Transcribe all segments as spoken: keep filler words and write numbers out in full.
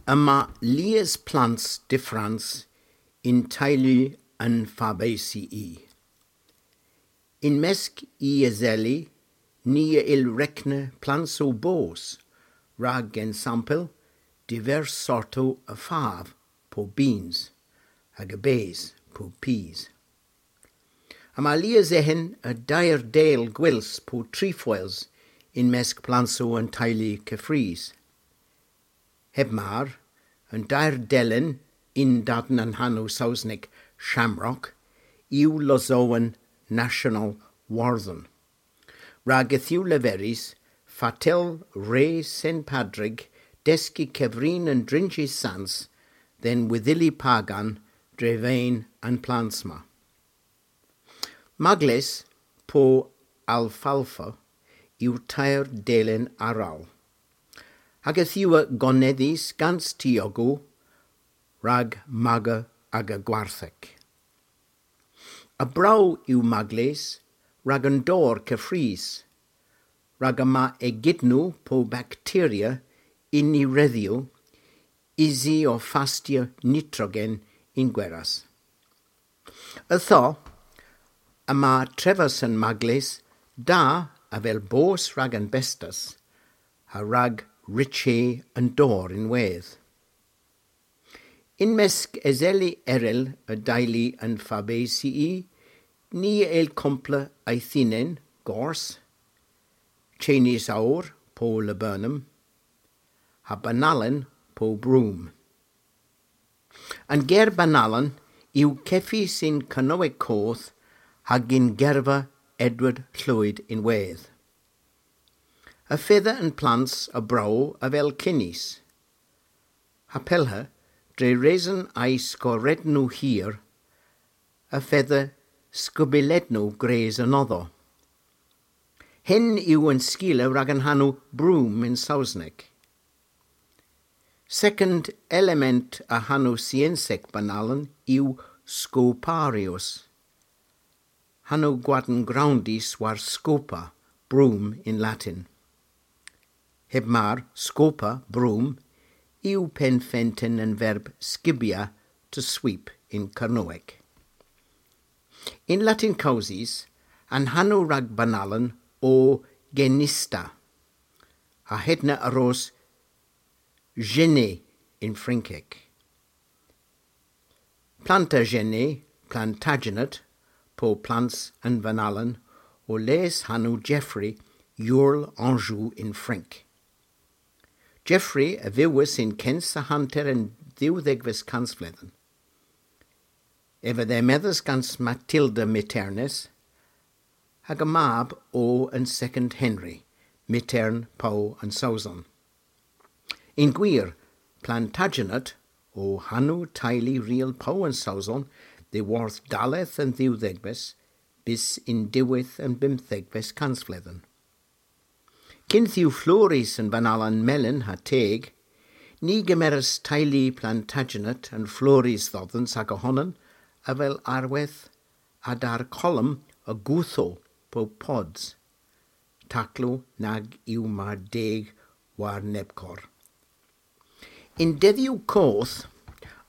Yma lies plans dyffrans yn teylu an Fabaceae. Yn mysk y eseli, ni a yll rekna plansow boos, rag ensampel, divers sortow a fav po beans, hag a bes po peas. Yma lies eghen a deyr del gwyls po trefoils yn mysk plansow an teylu keffrys. Heb mar, an deyr delen yn-dadn an hanow Sowsnek shamrock yw losowen national Wordhen. Rag yth yw leverys, fatel re Sen Padrig deski kevrin an drynsys sans dhe'n wedhili pagan dre veyn an plans ma. Magles po alfalfa yw teyr delen arall, hag yth yw a gonedhys gans tiogow rag maga aga gwarthek. A brow yw magles rag an dor keffrys, rag yma egednow po bakteria yn y redhyow usi ow fastya nitrogen yn gweras. Ytho, yma trevas an magles da avel boos rag an bestas, ha rag rychi an dor ynwedh. Yn mysk eseli erel a deylu an Fabaceae, ni a yll kompla eythynen gors, chenis owr po laburnum, ha banalen po broom. An ger banalen yw kevys yn Kernewek Koth hag yn gerva Edward Llwyd ynwedh. Y fedha an plans a brow avel chenis. Ha pellha, dre reson a'y skorednow hir, y fedha skobilednow gwrys anodho. Henn yw an skila rag an hanow broom yn Sowsnek. Sekond element a hanow synsek banalen yw scoparius. Hanow gwadn growndys war scopa, broom yn Latin. Heb mar, scopa, broom, yw pennfenten an verb skibya, to sweep yn Kernewek. Yn Latin kewsys, an hanow rag banalen o genista, ha hedna a ros genêt yn Frynkek. Plantagenet, Plantagenet, po plans an vanalen, o les hanow Geoffrey, Earl Anjou yn Frynk. Geoffrey a vewas yn kynsa hanter an dhewdhegves kansvledhen. Ev a dhemedhas gans Matilda Miternes, hag a mab o an Sekond Henry, Mitern Pow an Sowson. Yn gwir, Plantagenet o hanow teylu riel Pow an Sowson dhyworth dalleth an dhewdhegves bys yn diwedh an bymthegves kansvledhen. Kynth yw florys an vanalen melyn ha teg, ni gemeras teylu Plantagenet an florys dhodhans aga honan avel arwedh a-der kolom a gouthow po pods, taklow nag yw mar deg war nebkor. Yn dedhyow koth,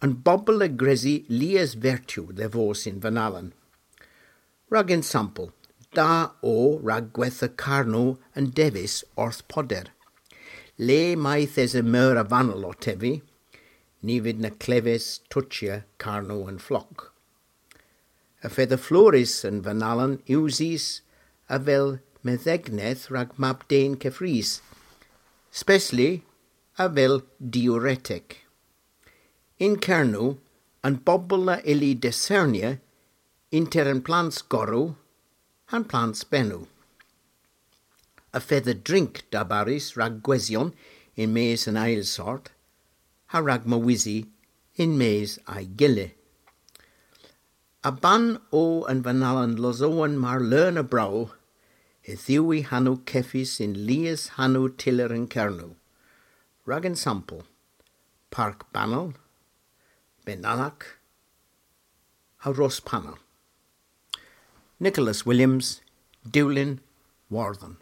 an bobel a gresi lies vertow dhe vos yn vanalen. Rag ensampel, da o rag gwetha karnow an devis orth poder. Le mayth esa meur a vanal ow tevi, ny vydh na kleves tochya karnow an flokk. Y fedha florys an vanalen usys avel medhegneth rag mab-den keffrys, spesli avel diuretek. Yn Kernow, an bobel a ylli diskernya ynter an plans gorow ha'n plans bennow. Y fedha drink darbarys rag gwesyon yn-mes an eyl sort, ha rag mowysi yn-mes a'y gila. A-ban o an vanalen losowen mar leun a brow, yth yw y hanow kevys yn lies hanow tyller yn Kernow. Rag ensampel, Park Banal, Benalak, ha Ros Panel. Nicholas Williams, Dewlin, Wordhen.